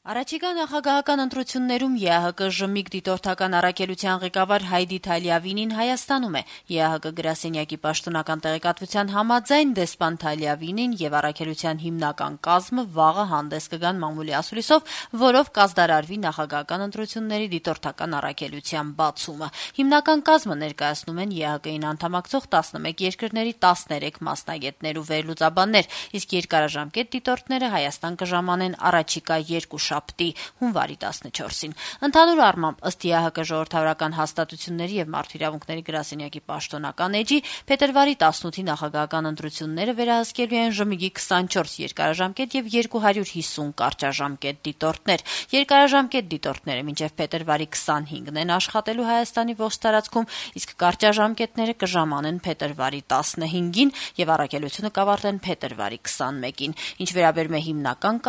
Առաջիկա նախագահական ընտրություններում ԵԱՀԿ ժմիկ դիտորդական առաքելության ղեկավար Հայդի Թալիավինին Հայաստանում է։ ԵԱՀԿ գրասենյակի պաշտոնական տեղեկատվության համաձայն դեսպան Թալիավինին եւ առաքելության հիմնական կազմը վաղը հանդես կգան մամուլի ասուլիսով, որով կազդարարվի նախագահական ընտրությունների դիտորդական առաքելության բացումը։ Հիմնական կազմը ներկայացնում են ԵԱՀԿ-ին անդամակցող 11 երկրների 13 մասնագետներ ու վերլուծաբաններ, իսկ երկարաժամկետ դիտորդները Հայաստան կժամանեն առաջիկա 2 շաբթի հունվարի 14-ին։ Ընդհանուր առմամբ, ըստ ԵԱՀԿ ժողովրդավարական հաստատությունների եւ մարդու իրավունքների գրասենյակի պաշտոնական էջի, փետրվարի 18-ի նախագահական ընտրությունները վերահսկելու են ժմիգի 24 երկարաժամկետ եւ 250 կարճաժամկետ դիտորդներ։ Երկարաժամկետ դիտորդները մինչեւ փետրվարի 25-ն են աշխատելու Հայաստանի ողջ տարածքում, իսկ կարճաժամկետները կժամանեն փետրվարի 15-ին եւ առաքելությունը կավարտեն փետրվարի 21-ին։ Ինչ վերաբերում է հիմնական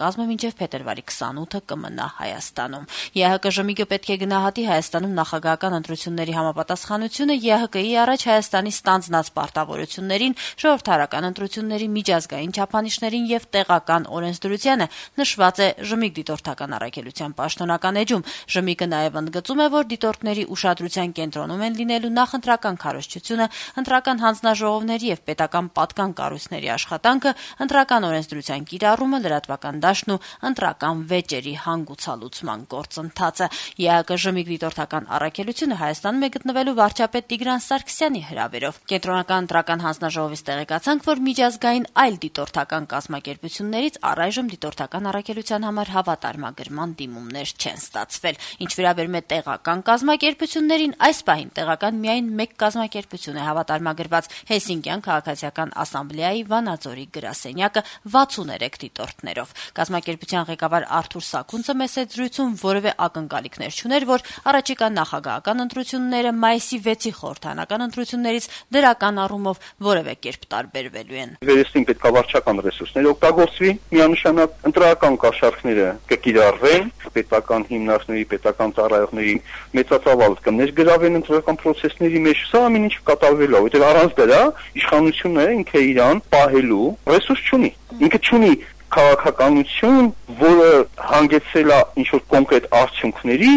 կազմը մինչեւ փետրվարի 28-ը կմնա Հայաստանում։ ԵԱՀԿ ժմիգը պետք է գնահատի Հայաստանում նախագահական ընտրությունների համապատասխանությունը ԵԱՀԿ-ի առաջ Հայաստանի ստանձնած պարտավորություններին, ժողովրդարական ընտրությունների միջազգային չափանիշներին եւ տեղական օրենսդրությանը, նշված է ժմիգ դիտորդական առաքելության պաշտոնական էջում։ Ժմիգը նաեւ ընդգծում է, որ դիտորդների ուշադրության կենտրոնում են լինելու նախընտրական քարոզչությունը, ընտրական հանձնաժողովների եւ պետական պատկան կառույցների աշխատանքը, ընտրական օրենսդրության կիրառումը, լրատվական դաշտն ու ընտրական վեճերի հանգուցալուծման գործընթացը։ ԵԱՀԿ ժմիգ դիտորդական առաքելությունը Հայաստանում է գտնվելու վարչապետ Տիգրան Սարգսյանի հրավերով։ Կենտրոնական ընտրական հանձնաժողովից տեղեկացանք, որ միջազգային այլ դիտորդական կազմակերպություններից առայժմ դիտորդական առաքելության համար հավատարմագրման դիմումներ չեն ստացվել։ Ինչ վերաբերում է տեղական կազմակերպություններին, այս պահին տեղական միայն մեկ կազմակերպություն է հավատարմագրված՝ Հելսինկյան քաղաքացիական ասամբլեայի Վանաձորի գրասենյակը 63 դիտորդներով։ Կազմակերպության ղեկավար Արթուր Սաքունցը մեծ զրույցում որևէ ակնկալիքներ չուներ, որ առաջիկա նախագահական ընտրությունները մայիսի 6-ի խորհրդարանական ընտրություններից դրական առումով որևէ կերպ տարբերվելու են։ Վերստին պետք է վարչական ռեսուրսներ օգտագործվի, միանշանակ ընտրական կաշառքները կկիրառվեն, պետական հիմնարկների, պետական ծառայողների մեծածավալ կներգրավեն ընտրական process-ների մեջ, սա ամեն ինչ կատարվելու է, որտեղ առանց դրա իշխանությունը ինքը իրան պահելու ռեսուրս չունի։ Ինքը չունի քաղաքականություն, որը հանգեցել է ինչ-որ կոնկրետ արդյունքների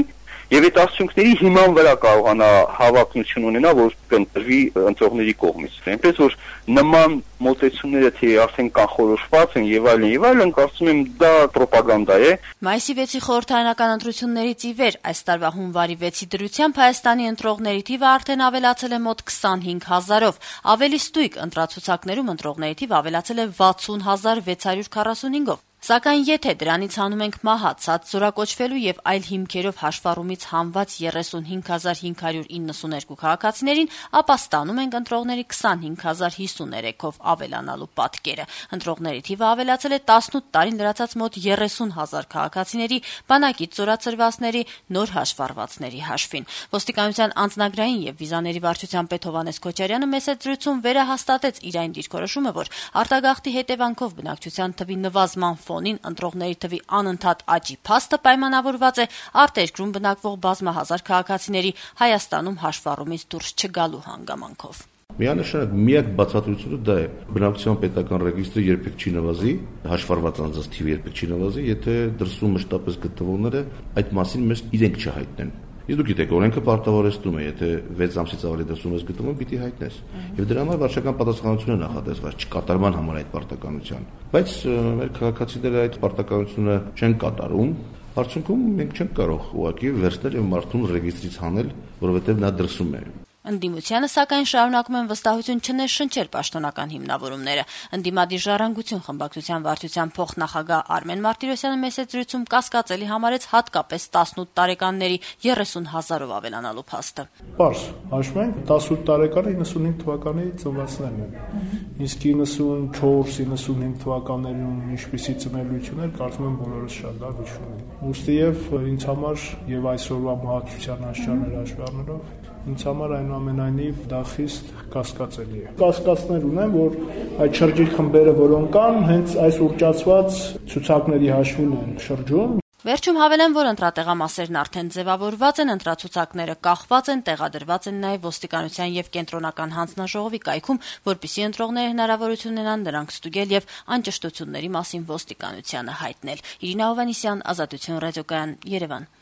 եւ այդ արդյունքների հիման վրա կարողանա հավակնություն ունենա, որ կընտրվի ընտրողների կողմից։ Այնպես որ նման մոտեցումները թե արդեն կանխորոշված են եւ այլն, կարծում եմ դա ռոպագանդա է։ Մայիսի 6-ի խորհրդարանական ընտրություններից ի վեր այս տարվա հունվարի 6-ի դրությամբ Հայաստանի ընտրողների թիվը արդեն ավելացել է մոտ 25,000-ով։ Ավելի ստույգ ընտրացուցակներում ընտրողների թիվը ավելացել է 60,645-ով։ Սակայն եթե դրանից հանում ենք մահացած, զորակոչվելու եւ այլ հիմքերով հաշվառումից հանված 35,592 քաղաքացիներին, ապա ստանում ենք ընտրողների 25,053-ով ավելանալու պատկերը։ Ընտրողների թիվը ավելացել է 18 տարին լրացած մոտ 30,000 քաղաքացիների, բանակից զորացրվածների, նոր հաշվառվածների հաշվին։ Ոստիկանության անձնագրային եւ վիզաների վարչության պետ Հովհաննես Քոչարյանը մեծ զրույցում վերահաստատեց իր այն դիրքորոշումը, որ արտագաղթի հետևանքով բնակչության թվի նվազման ֆոնին ընտրողների թվի անընդհատ աճի փաստը պայմանավորված է արտերկրում բնակվող բազմահազար քաղաքացիների Հայաստանում հաշվառումից դուրս չգալու հանգամանքով։ Միանշանակ միակ բացատրությունը դա է։ Բնակչության պետական ռեգիստրը երբեք չի նվազի, հաշվառված անձանց թիվը երբեք չի նվազի, եթե դրսում մշտապես գտնվողները այդ մասին մեզ իրենք չհայտնեն։ Իսկ դուք գիտեք, օրենքը պարտավորեցնում է, եթե 6 ամսից ավելի դրսում ես գտնվում, պիտի հայտնես։ Եվ դրա համար վարչական պատասխանատվություն է նախատեսված չկատարման համար այդ պարտականության։ Բայց մեր քաղաքացիները այդ պարտականությունը չեն կատարում, արդյունքում մենք չենք կարող ուղղակի վերցնել եւ մարդուն ռեգիստրից հանել, որովհետեւ նա դրսում է։ Ընդդիմությանը, սակայն, շարունակում են վստահություն չներշնչել պաշտոնական հիմնավորումները։ Ընդդիմադիր ժառանգություն խմբակցության վարչության փոխնախագահ Արմեն Մարտիրոսյանը մեծ զրույցում կասկածելի համարեց հատկապես 18 տարեկանների 30,000-ով ավելանալու փաստը։ Պարզ, հաշվում ենք 18 տարեկանը 95 թվականի ծնվածներն են։ Իսկ 94-95 թվականներում ինչպիսի ծնելիություններ, կարծում եմ բոլորս շատ լավ հիշում ենք։ Ուստի եւ ինձ համար եւ այսօրվա մահացության աշխարհներ հաշվի առնելով ինձ համար այնուամենայնիվ դա խիստ կասկածելի է։ Կասկածներ ունեմ, որ այդ շրջիկ խմբերը, որոնք կան, հենց այս ուռճացված ցուցակների հաշվին են շրջում։ Վերջում հավելեմ, որ ընտրատեղամասերն արդեն ձևավորված են, ընտրացուցակները կախված են, տեղադրված են նաև ոստիկանության եւ կենտրոնական հանձնաժողովի կայքում, որպեսզի ընտրողները հնարավորություն ունենան նրանք ստուգել եւ անճշտությունների մասին ոստիկանությանը հայտնել։ Իրինա Հովհաննիսյան, Ազատություն ռադիոկայան, Երևան։